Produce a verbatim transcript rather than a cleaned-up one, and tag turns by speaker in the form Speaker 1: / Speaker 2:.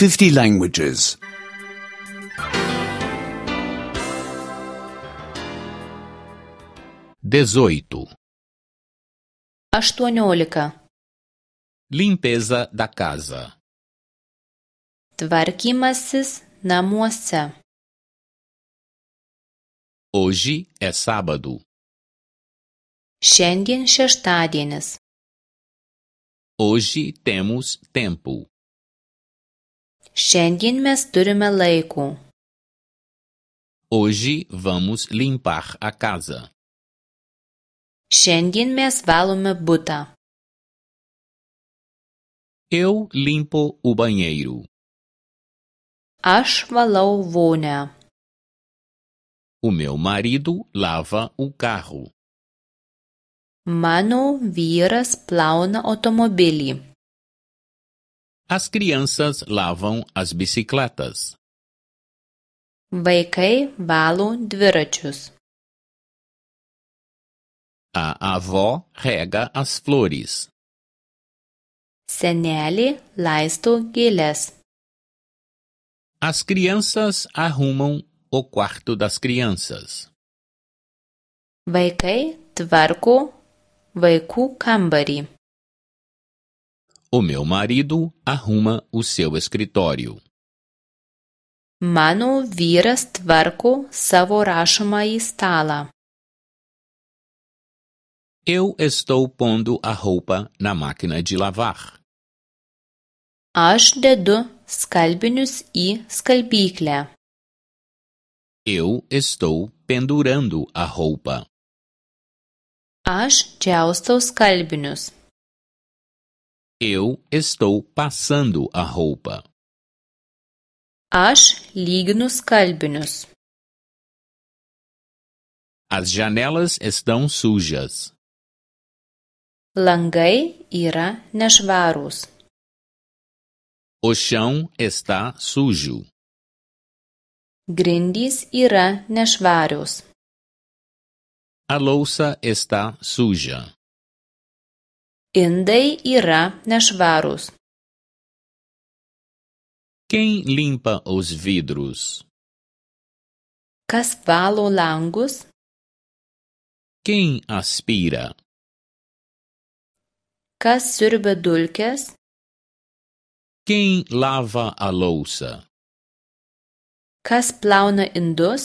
Speaker 1: fifty languages.
Speaker 2: dezoito.
Speaker 3: aštuoniolika.
Speaker 2: Limpeza da casa.
Speaker 3: Tvarkymasis namuose.
Speaker 2: Hoje é sábado.
Speaker 3: Šiandien šeštadienis.
Speaker 2: Hoje temos tempo.
Speaker 3: Šiandien mes turime laiko.
Speaker 2: Hoje vamos limpar a casa.
Speaker 3: Šiandien mes valome butą.
Speaker 2: Eu limpo o banheiro.
Speaker 3: Aš valau vonią.
Speaker 2: O meu marido lava o carro.
Speaker 3: Mano vyras plauna automobilį.
Speaker 2: As crianças lavam as bicicletas.
Speaker 3: Vaikai valo dviračius.
Speaker 2: A avó rega as flores.
Speaker 3: Senelė laisto gėles.
Speaker 2: As crianças arrumam o quarto das crianças.
Speaker 3: Vaikai tvarko vaikų kambarį.
Speaker 2: O meu marido arruma o seu escritório.
Speaker 3: Mano vyras tvarko savo rašomąjį stalą.
Speaker 2: Eu estou pondo a roupa na máquina de lavar.
Speaker 3: Aš dedu skalbinius į skalbyklę.
Speaker 2: Eu estou pendurando a roupa.
Speaker 3: Aš džiaustau skalbinius.
Speaker 2: Eu estou passando a roupa.
Speaker 3: Aš lyginu skalbinius.
Speaker 2: As janelas estão sujas.
Speaker 3: Langai yra nešvarūs.
Speaker 2: O chão está sujo.
Speaker 3: Grindys yra nešvarios.
Speaker 2: A louça está suja.
Speaker 3: Indai yra nešvarūs.
Speaker 2: Quem limpa os vidros?
Speaker 3: Kas valo langus?
Speaker 2: Quem aspira?
Speaker 3: Kas siurbia dulkes?
Speaker 2: Quem lava a louça?
Speaker 3: Kas plauna indus?